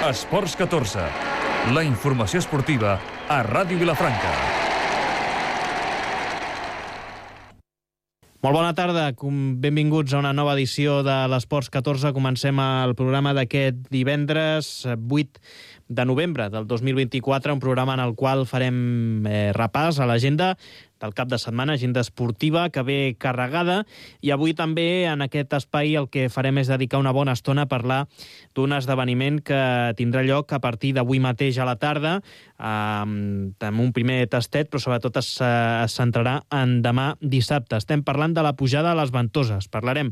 Esports 14, la informació esportiva a Ràdio Vilafranca. Molt bona tarda, benvinguts a una nova edició de l'Esports 14. Comencem el programa d'aquest divendres 8 de novembre del 2024, un programa en el qual farem repàs a l'agenda del cap de setmana, agenda esportiva que ve carregada, i avui també en aquest espai el que farem és dedicar una bona estona a parlar d'un esdeveniment que tindrà lloc a partir d'avui mateix a la tarda, amb un primer tastet, però sobretot es centrarà en demà dissabte. Estem parlant de la pujada a les Ventoses. Parlarem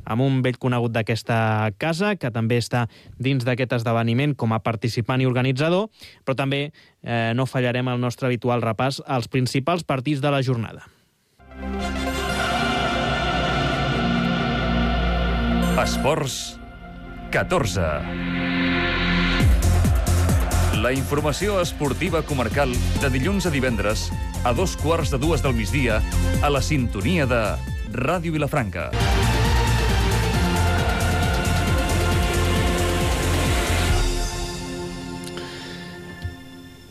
amb un vell conegut d'aquesta casa, que també està dins d'aquest esdeveniment com a participant i organitzador, però també no fallarem el nostre habitual repàs als principals partits de la jornada. Esports 14. La informació esportiva comarcal de dilluns a divendres a 2:15 del migdia a la sintonia de Ràdio Vilafranca.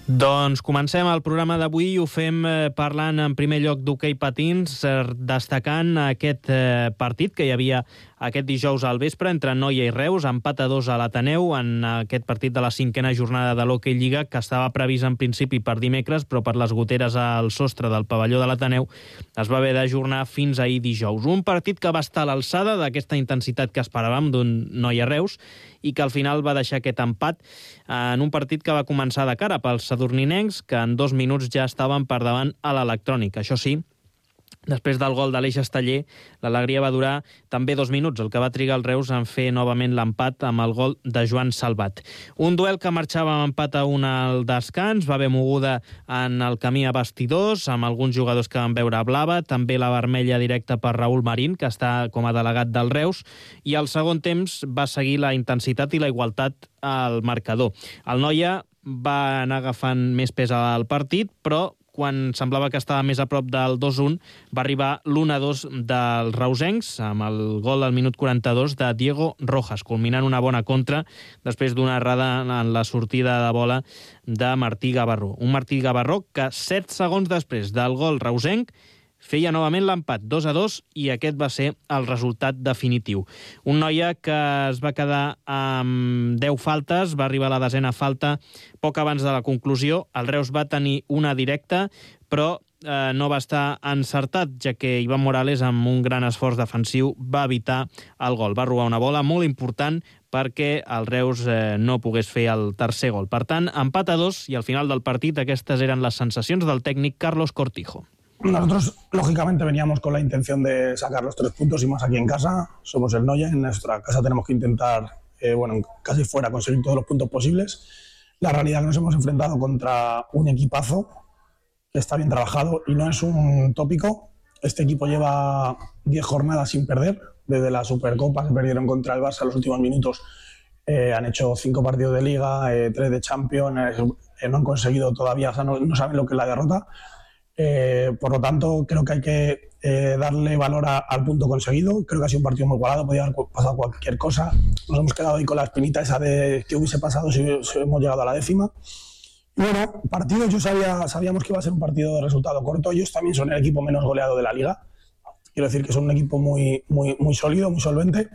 Doncs comencem el programa d'avui i ho fem parlant en primer lloc d'hoquei patins, destacant aquest partit que hi havia aquest dijous al vespre entre Noia i Reus, empat a 2 a l'Ateneu en aquest partit de la 5a jornada de l'Hockey Lliga, que estava previst en principi per dimecres, però per les goteres al sostre del pavelló de l'Ateneu es va haver d'ajornar fins ahir dijous. Un partit que va estar a l'alçada d'aquesta intensitat que esperàvem d'un Noia-Reus i que al final va deixar aquest empat en un partit que va començar de cara pels sadurninencs, que en 2 minuts ja estaven per davant a l'Electrònic. Això sí, després del gol de l'Eix Esteller, l'alegria va durar també 2 minuts, el que va trigar el Reus en fer novament l'empat amb el gol de Joan Salvat. Un duel que marxava amb empat a 1 al descans, va haver moguda en el camí a vestidors, amb alguns jugadors que van veure blava, també la vermella directa per Raül Marín, que està com a delegat del Reus, i al segon temps va seguir la intensitat i la igualtat al marcador. El Noia va anar agafant més pes al partit, però quan semblava que estava més a prop del 2-1, va arribar l'1-2 dels reusencs, amb el gol al minut 42 de Diego Rojas, culminant una bona contra després d'una errada en la sortida de bola de Martí Gavarró. Un Martí Gavarró que 7 segons després del gol reusenc feia novament l'empat 2-2 i aquest va ser el resultat definitiu. Un Noia que es va quedar amb 10 faltes, va arribar a la 10a falta poc abans de la conclusió. El Reus va tenir una directa, però no va estar encertat, ja que Ivan Morales, amb un gran esforç defensiu, va evitar el gol. Va robar una bola molt important perquè el Reus no pogués fer el tercer gol. Per tant, empat a 2 i al final del partit aquestes eren les sensacions del tècnic Carlos Cortijo. Nosotros, lógicamente, veníamos con la intención de sacar los 3 puntos y más aquí en casa. Somos el Noia, en nuestra casa tenemos que intentar, casi fuera, conseguir todos los puntos posibles. La realidad es que nos hemos enfrentado contra un equipazo que está bien trabajado y no es un tópico. Este equipo lleva 10 jornadas sin perder, desde la Supercopa que perdieron contra el Barça en los últimos minutos. Han hecho 5 partidos de Liga, 3 de Champions, no han conseguido todavía, o sea, no saben lo que es la derrota. Por lo tanto, creo que hay que darle valor al punto conseguido. Creo que ha sido un partido muy igualado, podía haber pasado cualquier cosa. Nos hemos quedado ahí con la espinita esa de que hubiese pasado si hemos llegado a la 10ª. Y bueno, partido, sabíamos que iba a ser un partido de resultado corto. Ellos también son el equipo menos goleado de la Liga. Quiero decir que son un equipo muy sólido, muy solvente.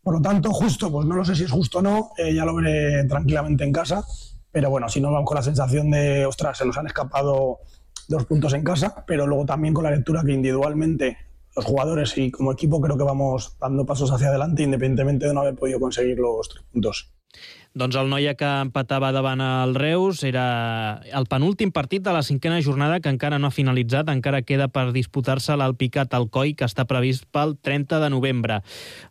Por lo tanto, justo, pues no lo sé si es justo o no, ya lo veré tranquilamente en casa. Pero bueno, si no, vamos con la sensación de, ostras, se nos han escapado 2 puntos en casa, pero luego también con la lectura que individualmente los jugadores y como equipo creo que vamos dando pasos hacia adelante independientemente de no haber podido conseguir los 3 puntos. Doncs el Noia que empatava davant el Reus era el penúltim partit de la 5a jornada que encara no ha finalitzat, encara queda per disputar-se l'Alpicat Alcoi, que està previst pel 30 de novembre.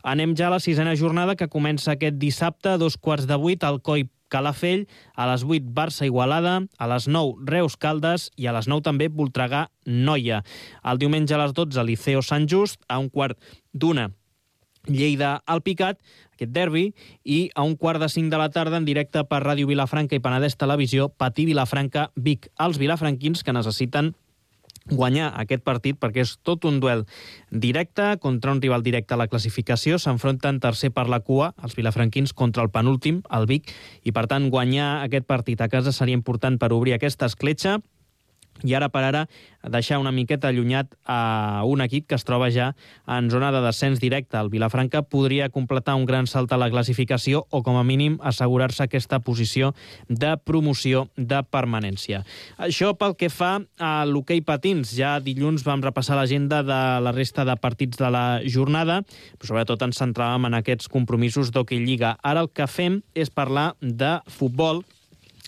Anem ja a la 6a jornada que comença aquest dissabte a 7:15, Alcoi Calafell, a les 8 Barça-Igualada, a les 9 Reus-Caldes i a les 9 també Voltregà-Noia. El diumenge a les 12 Liceo-Sant Just, a 1:15 Lleida-Alpicat, aquest derbi, i a 1:45 de la tarda en directe per Ràdio Vilafranca i Penedès Televisió, Patí Vilafranca-Vic. Els vilafranquins que necessiten guanyar aquest partit perquè és tot un duel directe contra un rival directe a la classificació. S'enfronten tercer per la cua, els vilafranquins, contra el penúltim, el Vic, i per tant guanyar aquest partit a casa seria important per obrir aquesta escletxa i ara per ara deixar una miqueta allunyat a un equip que es troba ja en zona de descens directe. El Vilafranca podria completar un gran salt a la classificació o com a mínim assegurar-se aquesta posició de promoció de permanència. Això pel que fa a l'hoquei patins. Ja dilluns vam repassar l'agenda de la resta de partits de la jornada, però sobretot ens centràvem en aquests compromisos d'hoquei lliga. Ara el que fem és parlar de futbol,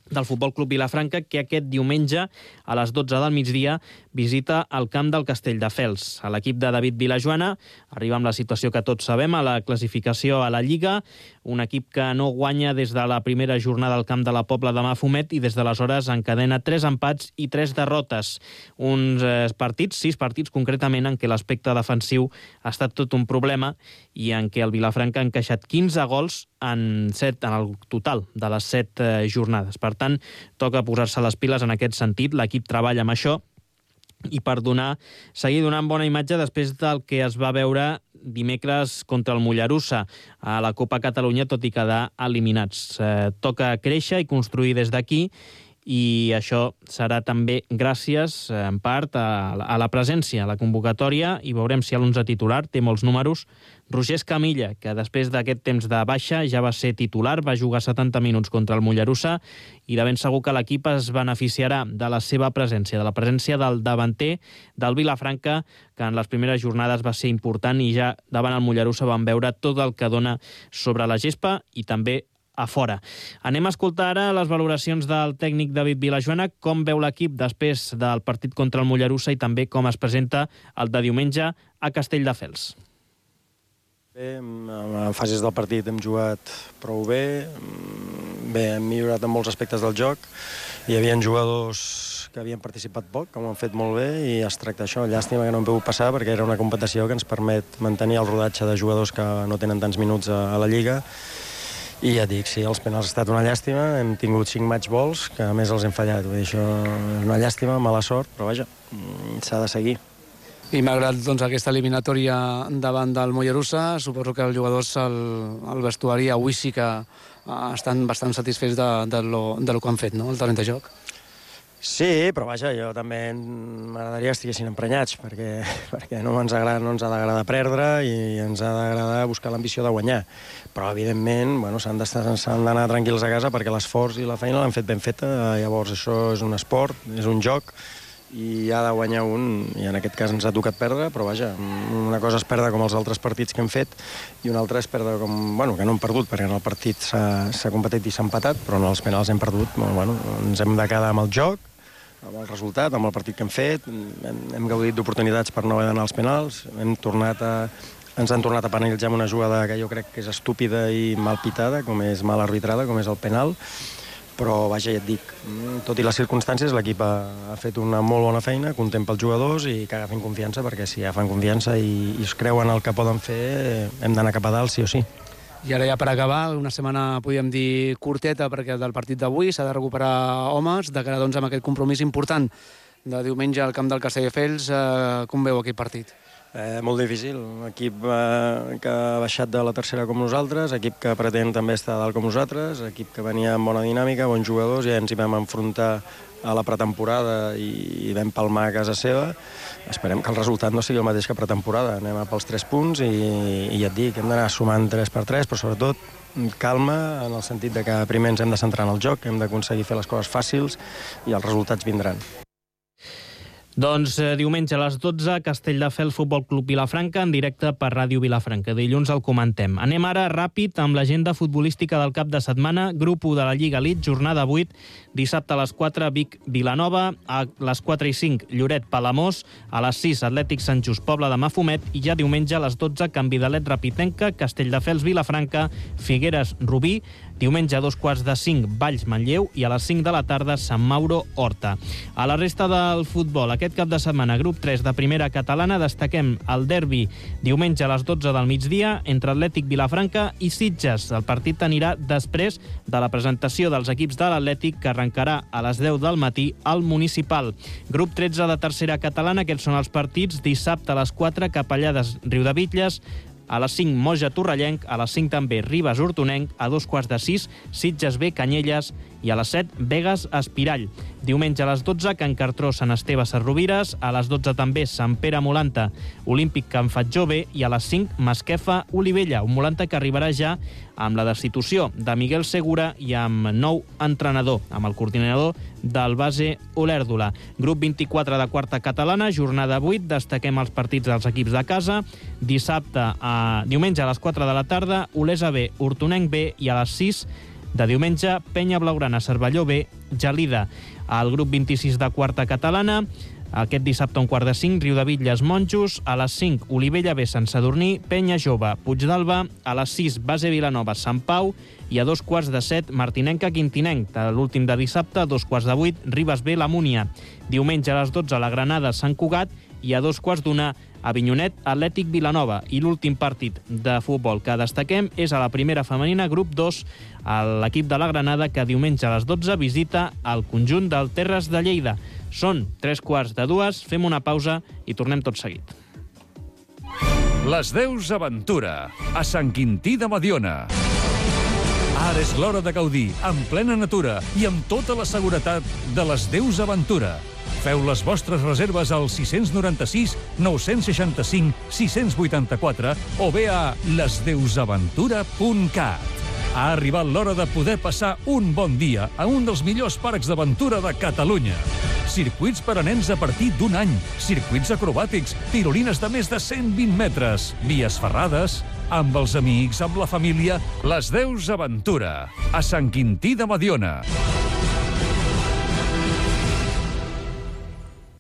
del Futbol Club Vilafranca, que aquest diumenge a les 12 del migdia visita el camp del Castelldefels. A l'equip de David Vilajoana arriba amb la situació que tots sabem a la classificació a la Lliga, un equip que no guanya des de la primera jornada al camp de la Pobla de Mafumet i des d'aleshores encadena 3 empats i 3 derrotes. Uns partits, 6 partits concretament, en què l'aspecte defensiu ha estat tot un problema i en què el Vilafranca ha encaixat 15 gols en el total de les 7 jornades. Per tant, toca posar-se les piles en aquest sentit. L'equip treballa amb això i per seguir donant bona imatge després del que es va veure dimecres contra el Mollerussa a la Copa Catalunya, tot i quedar eliminats. Toca créixer i construir des d'aquí, i això serà també gràcies, en part, a la presència, a la convocatòria, i veurem si l'11 titular té molts números. Roger Escamilla, que després d'aquest temps de baixa ja va ser titular, va jugar 70 minuts contra el Mollerussa, i de ben segur que l'equip es beneficiarà de la seva presència, de la presència del davanter del Vilafranca, que en les primeres jornades va ser important, i ja davant el Mollerussa van veure tot el que dona sobre la gespa i també a fora. Anem a escoltar ara les valoracions del tècnic David Vilajoana, com veu l'equip després del partit contra el Mollerussa i també com es presenta el de diumenge a Castelldefels. Bé, en fases del partit hem jugat prou bé. Bé, hem millorat en molts aspectes del joc. Hi havia jugadors que havien participat poc, que ho han fet molt bé, i es tracta això. Llàstima que no hem pogut passar, perquè era una competició que ens permet mantenir el rodatge de jugadors que no tenen tants minuts a la Lliga. I ja et dic, sí, els penals ha estat una llàstima. Hem tingut 5 match balls, que a més els hem fallat. Vull dir, això és una llàstima, mala sort, però vaja, s'ha de seguir. I malgrat aquesta eliminatòria davant del Mollerussa, suposo que els jugadors al vestuari avui sí que estan bastant satisfets del que han fet, no?, el terreny de joc. Sí, però vaja, jo també m'agradaria que estiguessin emprenyats, perquè no ens ha d'agradar perdre i ens ha d'agradar buscar l'ambició de guanyar. Però, evidentment, s'han d'anar tranquils a casa perquè l'esforç i la feina l'han fet ben feta. Llavors, això és un esport, és un joc, i ha de guanyar un, i en aquest cas ens ha tocat perdre, però vaja, una cosa és perdre com els altres partits que hem fet i una altra és perdre com, que no hem perdut, perquè en el partit s'ha competit i s'ha empatat, però en els penals hem perdut. Ens hem de quedar amb el joc, amb el resultat, amb el partit que hem fet. Hem gaudit d'oportunitats per no haver d'anar als penals, ens han tornat a penalitzar amb una jugada que jo crec que és estúpida i mal pitada, com és mal arbitrada, com és el penal. Però, vaja, ja et dic, tot i les circumstàncies, l'equip ha fet una molt bona feina, content pels jugadors, i que agafin confiança, perquè si agafen confiança i es creuen el que poden fer, hem d'anar cap a dalt, sí o sí. I ara ja per acabar, una setmana, podríem dir, curteta, perquè del partit d'avui s'ha de recuperar homes, de cara amb aquest compromís important de diumenge al camp del Castelldefels. Com veu aquest partit? Molt difícil. Un equip que ha baixat de la tercera com nosaltres, equip que pretén també estar dalt com nosaltres, equip que venia amb bona dinàmica, bons jugadors, i ens hi vam enfrontar a la pretemporada i vam palmar a casa seva. Esperem que el resultat no sigui el mateix que pretemporada. Anem a pels 3 punts i ja et dic, hem d'anar sumant 3x3, però sobretot calma, en el sentit de que primer ens hem de centrar en el joc, hem d'aconseguir fer les coses fàcils i els resultats vindran. Doncs diumenge a les 12, Castelldefels Futbol Club Vilafranca, en directe per Ràdio Vilafranca. Dilluns el comentem. Anem ara ràpid amb l'agenda futbolística del cap de setmana. Grup 1 de la Lliga Elite, jornada 8, dissabte a les 4, Vic Vilanova, a les 4 i 5, Lloret Palamós, a les 6, Atlètic Sant Just Pobla de Mafumet, i ja diumenge a les 12, Canvidalet Rapitenca, Castelldefels Vilafranca, Figueres Rubí, diumenge a 2:45, Valls Manlleu, i a les 5 de la tarda, Sant Mauro Horta. A la resta del futbol, aquest aquest cap de setmana, grup 3 de primera catalana, destaquem el derbi diumenge a les 12 del migdia entre Atlètic Vilafranca i Sitges. El partit anirà després de la presentació dels equips de l'Atlètic, que arrencarà a les 10 del matí al Municipal. Grup 13 de tercera catalana, aquests són els partits. Dissabte a les 4, Capellades Riudebitlles, a les 5, Moja Torrellenc, a les 5 també Ribes Hortonenc, a 2:45, Sitges B Canyelles i a les 7, Begues Espirall. Diumenge a les 12, Can Cartró Sant Esteve Sarrovires, a les 12 també Sant Pere Molanta Olímpic Can Fatjó B i a les 5, Masquefa Olivella, un Molanta que arribarà ja amb la destitució de Miguel Segura i amb nou entrenador, amb el coordinador del base Olèrdola. Grup 24 de quarta catalana, jornada 8, destaquem els partits dels equips de casa. Diumenge a les 4 de la tarda, Olesa B, Hortonenc B i a les 6 de diumenge, Penya Blaugrana Cervelló B, Gelida. Al grup 26 de quarta catalana, aquest dissabte a 4:45, Riudebitlles Monjos, a les 5, Olivella B, Sant Sadurní, Penya Jove, Puigdàlber, a les 6, Base Vilanova, Sant Pau, i a 2:15, Martinenca Quintinenc. L'últim de dissabte, a 2:08, Ribes B, la Múnia. Diumenge a les 12, la Granada, Sant Cugat, i a 2:15, Avinyonet, Atlètic Vilanova. I l'últim partit de futbol que destaquem és a la primera femenina, grup 2, l'equip de la Granada, que diumenge a les 12 visita el conjunt del Terres de Lleida. Són 3:15, fem una pausa i tornem tot seguit. Les Deus Aventura, a Sant Quintí de Mediona. Ara és l'hora de gaudir, en plena natura i amb tota la seguretat de les Deus Aventura. Feu les vostres reserves al 696 965 684 o bé a lesdeusaventura.cat. Ha arribat l'hora de poder passar un bon dia a un dels millors parcs d'aventura de Catalunya. Circuits per a nens a partir d'un any, circuits acrobàtics, tirolines de més de 120 metres, vies ferrades, amb els amics, amb la família. Les Deus Aventura, a Sant Quintí de Mediona.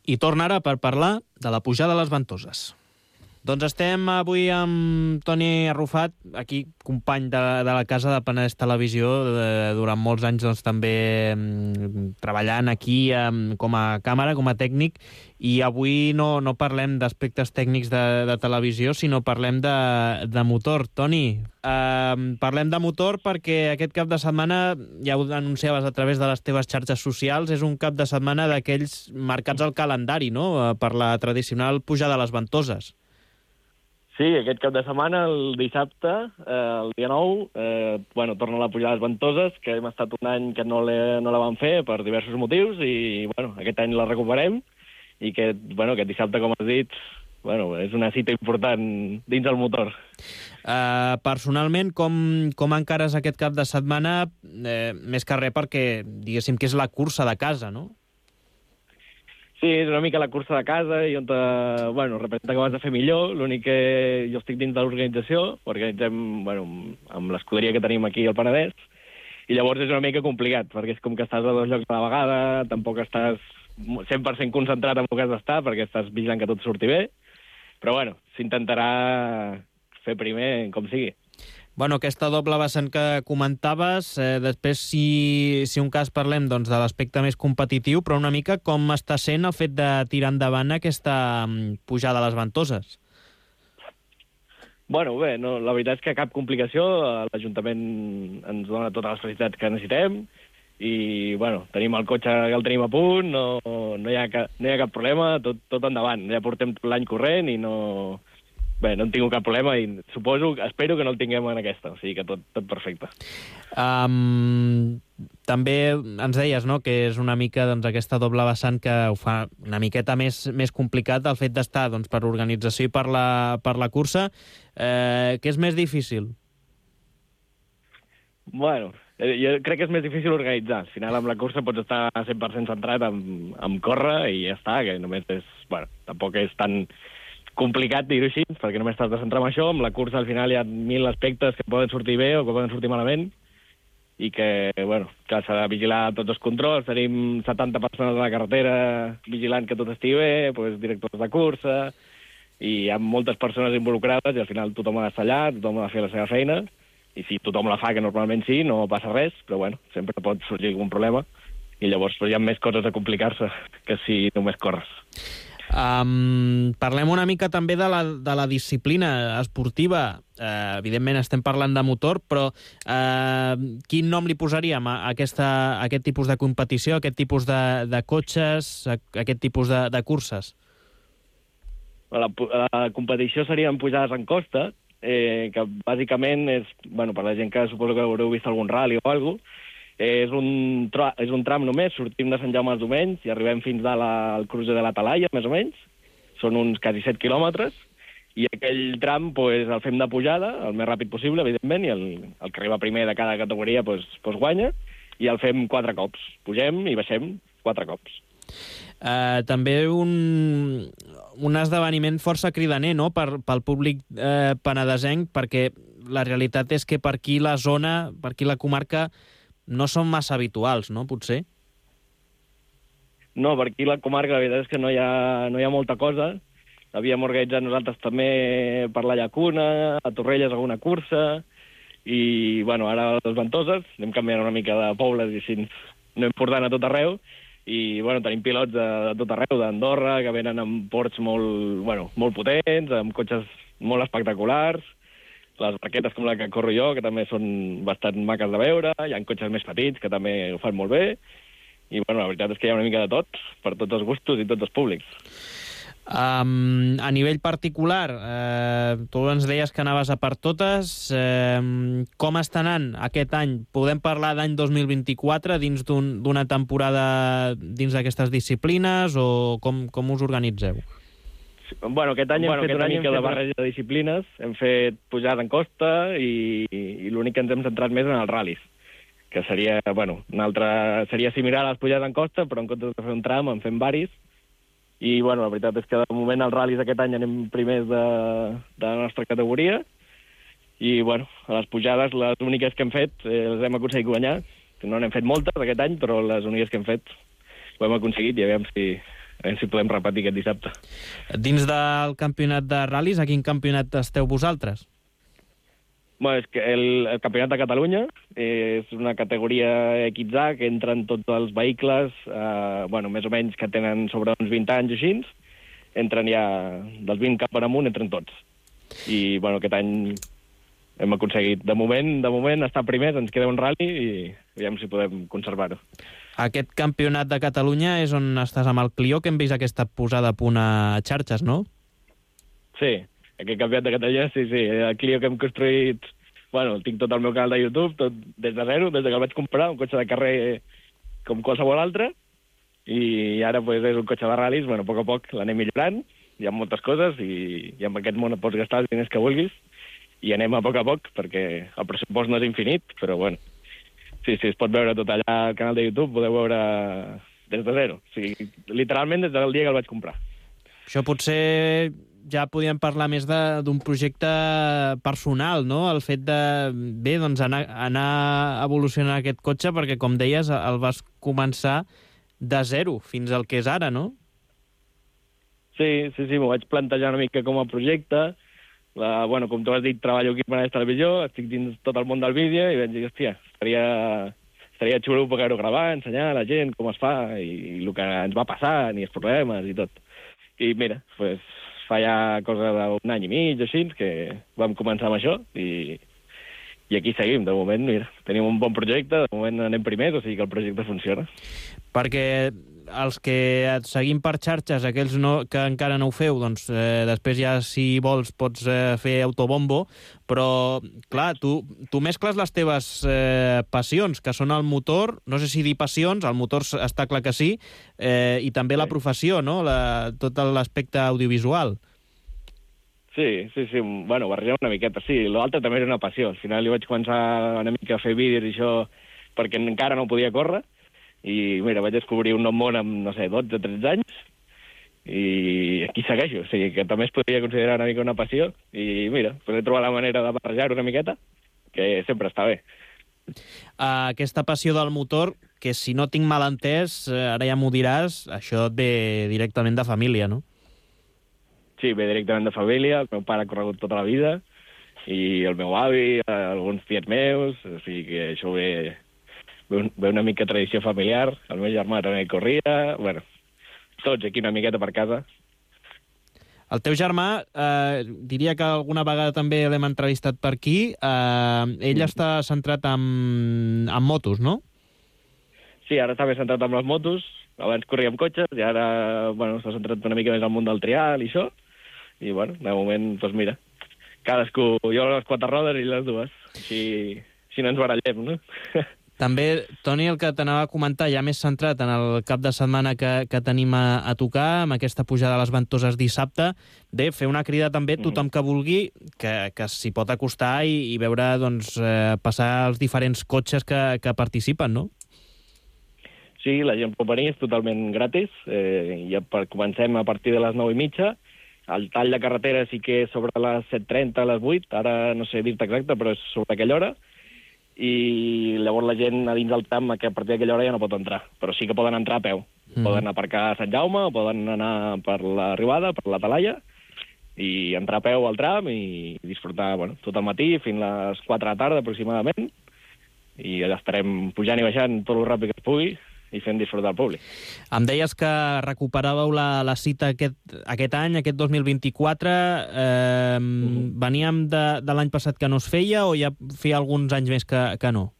I torna ara per parlar de la pujada a les Ventoses. Doncs estem avui amb Toni Arrufat, aquí company de la casa de Penedès Televisió, durant molts anys doncs, també treballant aquí com a càmera, com a tècnic, i avui no parlem d'aspectes tècnics de televisió, sinó parlem de motor. Toni, parlem de motor perquè aquest cap de setmana, ja ho anunciaves a través de les teves xarxes socials, és un cap de setmana d'aquells marcats al calendari, no?, per la tradicional pujada a les Ventoses. Sí, aquest cap de setmana, el dissabte, el dia 9, torna la pujada a les Ventoses, que hem estat un any que no la vam fer per diversos motius, i aquest any la recuperem, i aquest dissabte, com has dit, és una cita important dins el motor. Personalment, com encares aquest cap de setmana, més que res perquè, diguéssim, que és la cursa de casa, no? Sí, és una mica la cursa de casa i on, representa que ho has de fer millor. L'únic que jo estic dins de l'organització, organitzem, amb l'escuderia que tenim aquí al Penedès, i llavors és una mica complicat, perquè és com que estàs a dos llocs a la vegada, tampoc estàs 100% concentrat en el que has d'estar, perquè estàs vigilant que tot surti bé, però s'intentarà fer primer com sigui. Aquesta doble vessant que comentaves, després si un cas parlem de l'aspecte més competitiu, però una mica com està sent el fet de tirar endavant aquesta pujada a les Ventoses? La veritat és que cap complicació, l'Ajuntament ens dona totes les facilitats que necessitem i tenim el cotxe que el tenim a punt, no hi ha cap problema, tot endavant. Ja portem tot l'any corrent i no hem tingut cap problema i espero que no el tinguem en aquesta, o sigui que tot perfecte. També ens deies, no?, que és una mica aquesta doble vessant que ho fa una miqueta més complicat, el fet d'estar per organització i per la cursa. Què és més difícil? Jo crec que és més difícil organitzar. Al final, amb la cursa pots estar 100% centrat en córrer i ja està, que només és... tampoc és tan complicat dir-ho així, perquè només t'has de centrar en això. Amb la cursa, al final, hi ha 1000 aspectes que poden sortir bé o que poden sortir malament i que s'ha de vigilar tots els controls. Tenim 70 persones a la carretera vigilant que tot estigui bé, directors de cursa, i hi ha moltes persones involucrades i al final tothom ha d'estar allà, tothom ha de fer la seva feina, i si tothom la fa, que normalment sí, no passa res, però sempre pot sorgir algun problema. i llavors hi ha més coses a complicar-se que si només corres. Parlem una mica també de la disciplina esportiva. Evidentment estem parlant de motor, però quin nom li posaríem a aquest tipus de competició, a aquest tipus de cotxes, a aquest tipus de curses? La competició serien pujades en costa, que bàsicament és, per la gent que suposo que haureu vist algun rally o alguna cosa, és un tram només, sortim de Sant Jaume els Domenys i arribem fins al cruce de la Talaia, més o menys. Són uns quasi 7 quilòmetres, i aquell tram el fem de pujada, el més ràpid possible, evidentment, i el que arriba primer de cada categoria guanya, i el fem 4 cops. Pugem i baixem 4 cops. També un esdeveniment força cridaner, no?, pel públic penedesenc, perquè la realitat és que per aquí la zona, per aquí la comarca, no són massa habituals, no, potser? No, per aquí la comarca la veritat és que no hi ha molta cosa. Havíem organitzat nosaltres també per la Llacuna, a Torrelles alguna cursa, i ara a les Ventoses anem canviant una mica de pobles i així anem portant a tot arreu, i tenim pilots de tot arreu, d'Andorra, que venen amb ports molt potents, amb cotxes molt espectaculars, les barquetes com la que corro jo, que també són bastant maques de veure, hi ha cotxes més petits que també ho fan molt bé, i la veritat és que hi ha una mica de tot, per tots els gustos i tots els públics. A nivell particular, tu ens deies que anaves a per totes. Com està anant aquest any? Podem parlar d'any 2024 dins d'una temporada dins d'aquestes disciplines, o com us organitzeu? Aquest any hem fet una mica de barreja de disciplines, hem fet pujada en costa i l'únic que ens hem centrat més en els ral·lis, que seria, seria similar a les pujades en costa, però en comptes de fer un tram en fem varis, i la veritat és que de moment els ral·lis aquest any anem primers de la nostra categoria, i a les pujades les úniques que hem fet les hem aconseguit guanyar, que no n'hem fet moltes aquest any, però les úniques que hem fet ho hem aconseguit, i aviam si podem repetir aquest dissabte. Dins del campionat de ral·lis, a quin campionat esteu vosaltres? És que el campionat de Catalunya és una categoria XA que entren tots els vehicles, més o menys que tenen sobre uns 20 anys o així, entren ja dels 20 cap amunt, entren tots. I aquest any hem aconseguit, de moment estar primers, ens queda un ral·li i aviam si podem conservar-ho. Aquest campionat de Catalunya és on estàs amb el Clio, que hem vist aquesta posada a punt a xarxes, no? Sí, aquest campionat de Catalunya, sí. El Clio que hem construït, tinc tot el meu canal de YouTube, tot des de zero, des que el vaig comprar, un cotxe de carrer com qualsevol altre, i ara és un cotxe de ral·lis, a poc l'anem millorant, hi ha moltes coses, i amb aquest món et pots gastar els diners que vulguis, i anem a poc, perquè el pressupost no és infinit, però sí, es pot veure tot allà al canal de YouTube, podeu veure des de zero. O sigui, literalment des del dia que el vaig comprar. Això potser ja podíem parlar més d'un projecte personal, no? El fet de, anar evolucionant aquest cotxe, perquè, com deies, el vas començar de zero fins al que és ara, no? Sí, m'ho vaig plantejar una mica com a projecte. Com tu has dit, treballo aquí per a la televisió, estic dins tot el món del vídeo, i vaig dir, hòstia, estaria xulo poder-ho gravar, ensenyar a la gent com es fa, i el que ens va passar, i els problemes, i tot. I mira, fa ja cosa d'un any i mig, així, que vam començar amb això, i aquí seguim. De moment, mira, tenim un bon projecte, de moment anem primers, o sigui que el projecte funciona. Perquè els que et seguim per xarxes, aquells que encara no ho feu, després ja, si vols, pots fer autobombo, però, clar, tu mescles les teves passions, que són el motor, no sé si dir passions, el motor està clar que sí, i també la professió, no?, tot l'aspecte audiovisual. Sí, barrejar una miqueta, sí. L'altre també era una passió. Al final li vaig començar una mica a fer vídeos i això perquè encara no podia córrer, i mira, vaig descobrir un nou món amb, 12 o 13 anys, i aquí segueixo. O sigui, que també es podria considerar una mica una passió, i mira, he trobat la manera de barrejar-ho una miqueta, que sempre està bé. Aquesta passió del motor, que si no tinc mal entès, ara ja m'ho diràs, això ve directament de família, no? Sí, ve directament de família, el meu pare ha corregut tota la vida, i el meu avi, alguns tiets meus, o sigui que això ve ve una mica tradició familiar, el meu germà també corria, bueno, tots aquí una miqueta per casa. El teu germà, diria que alguna vegada també l'hem entrevistat per aquí, ell està centrat en motos, no? Sí, ara està més centrat amb les motos, abans corria amb cotxes i ara, bueno, s'ha centrat una mica més al món del trial i això, i bueno, de moment, doncs mira, cadascú, jo les 4 rodes i les 2, així no ens barallem, no? També, Toni, el que t'anava a comentar, ja més centrat en el cap de setmana que tenim a tocar, amb aquesta pujada a les Ventoses dissabte, bé, fer una crida també a tothom que vulgui, que s'hi pot acostar i veure, doncs, passar els diferents cotxes que participen, no? Sí, la gent pot venir, és totalment gratis. Ja comencem a partir de les 9:30. El tall de carretera sí que és sobre les 7:30, les 8. Ara no sé dir-te exacte, però és sobre aquella hora. I llavors la gent a dins del tram, que a partir d'aquella hora ja no pot entrar. Però sí que poden entrar a peu. Poden aparcar a Sant Jaume, o poden anar per l'arribada, per la Talaia, i entrar a peu al tram i disfrutar tot el matí, fins a les 4 de la tarda aproximadament. I allà estarem pujant i baixant tot el ràpid que es pugui i fent disfrutar el públic. Em deies que recuperàveu la cita aquest any, aquest 2024. Veníem de l'any passat que no es feia o ja feia alguns anys més que no?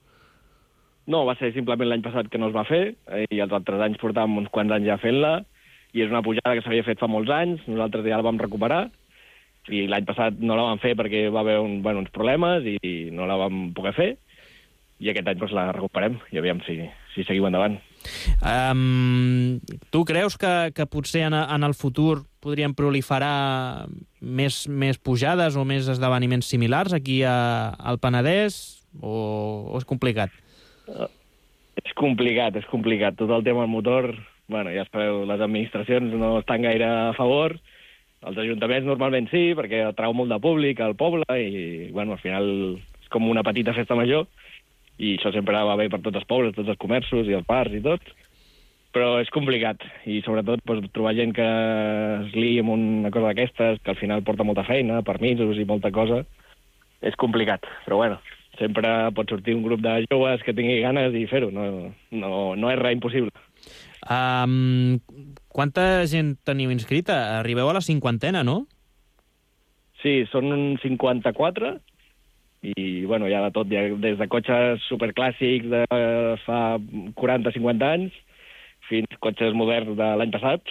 No, va ser simplement l'any passat que no es va fer i els altres anys portàvem uns quants anys ja fent-la i és una pujada que s'havia fet fa molts anys, nosaltres ja la vam recuperar i l'any passat no la vam fer perquè va haver uns problemes i no la vam poder fer i aquest any la recuperem i aviam si seguim endavant. Tu creus que potser en el futur podrien proliferar més pujades o més esdeveniments similars aquí al Penedès o és complicat? És complicat. Tot el tema del motor, ja sabeu, les administracions no estan gaire a favor. Els ajuntaments normalment sí, perquè atrau molt de públic al poble i, al final és com una petita festa major i això sempre va bé per tots els pobles, tots els comerços i els bars i tot, però és complicat i sobretot trobar gent que es liï amb una cosa d'aquestes, que al final porta molta feina, permisos i molta cosa, és complicat, però sempre pot sortir un grup de joves que tingui ganes i fer-ho, no és res impossible. Quanta gent teniu inscrita? Arribeu a la 50, no? Sí, són uns 54 i, hi ha de tot, des de cotxes superclàssics de fa 40-50 anys fins a cotxes moderns de l'any passat,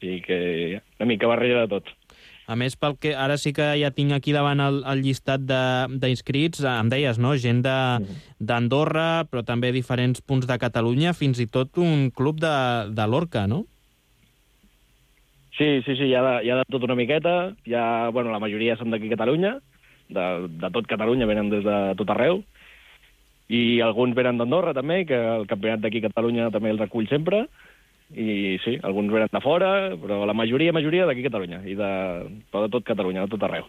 i que una mica barreja de tot. A més, pel que ara sí que ja tinc aquí davant el llistat d'inscrits, em deies, no? Gent d'Andorra, però també diferents punts de Catalunya, fins i tot un club de Lorca, no? Sí, hi ha de tot una miqueta. La majoria són d'aquí a Catalunya, de tot Catalunya, venen des de tot arreu, i alguns venen d'Andorra també, que el campionat d'aquí a Catalunya també els recull sempre, i sí, alguns venen de fora, però la majoria d'aquí a Catalunya, però de tot Catalunya, de tot arreu.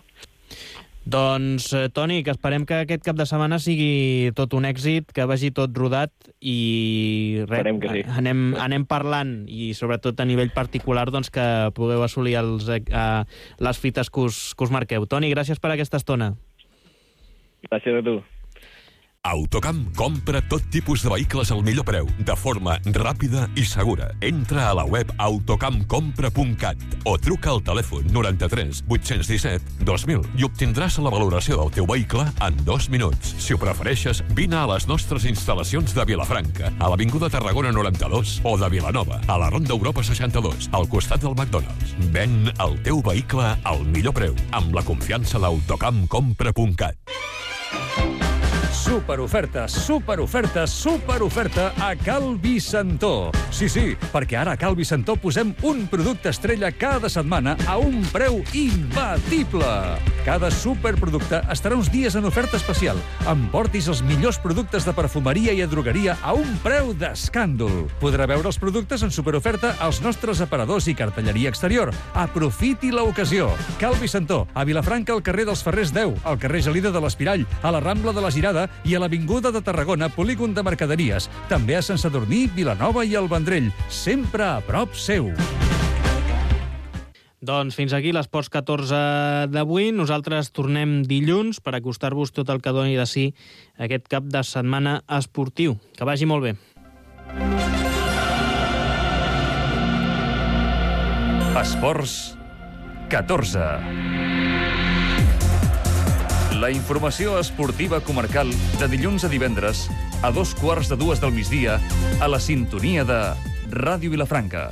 Doncs, Toni, que esperem que aquest cap de setmana sigui tot un èxit, que vagi tot rodat i esperem que sí. Anem parlant i sobretot a nivell particular doncs, que pugueu assolir les fites que us marqueu. Toni, gràcies per aquesta estona. Gràcies a tu. Autocamp compra tot tipus de vehicles al millor preu, de forma ràpida i segura. Entra a la web autocampcompra.cat o truca al telèfon 93 817 2000 i obtindràs la valoració del teu vehicle en 2 minuts. Si ho prefereixes, vine a les nostres instal·lacions de Vilafranca, a l'Avinguda Tarragona 92, o de Vilanova, a la Ronda Europa 62, al costat del McDonald's. Ven el teu vehicle al millor preu, amb la confiança d'autocampcompra.cat. Superoferta a Cal Vicentó. Sí, perquè ara a Cal Vicentó posem un producte estrella cada setmana a un preu imbatible. Cada superproducte estarà uns dies en oferta especial. Emportis els millors productes de perfumeria i drogueria a un preu d'escàndol. Podrà veure els productes en superoferta als nostres aparadors i cartelleria exterior. Aprofiti l'ocasió. Cal Vicentó, a Vilafranca, al carrer dels Ferrers 10, al carrer Gelida de l'Espirall, a la Rambla de la Girada i a l'Avinguda de Tarragona, polígon de mercaderies. També a Sant Sadurní, Vilanova i el Vendrell. Sempre a prop seu. Doncs fins aquí l'Esports 14 d'avui. Nosaltres tornem dilluns per acostar-vos tot el que doni de si aquest cap de setmana esportiu. Que vagi molt bé. Esports 14. La informació esportiva comarcal de dilluns a divendres a 2:15 del migdia a la sintonia de Ràdio Vilafranca.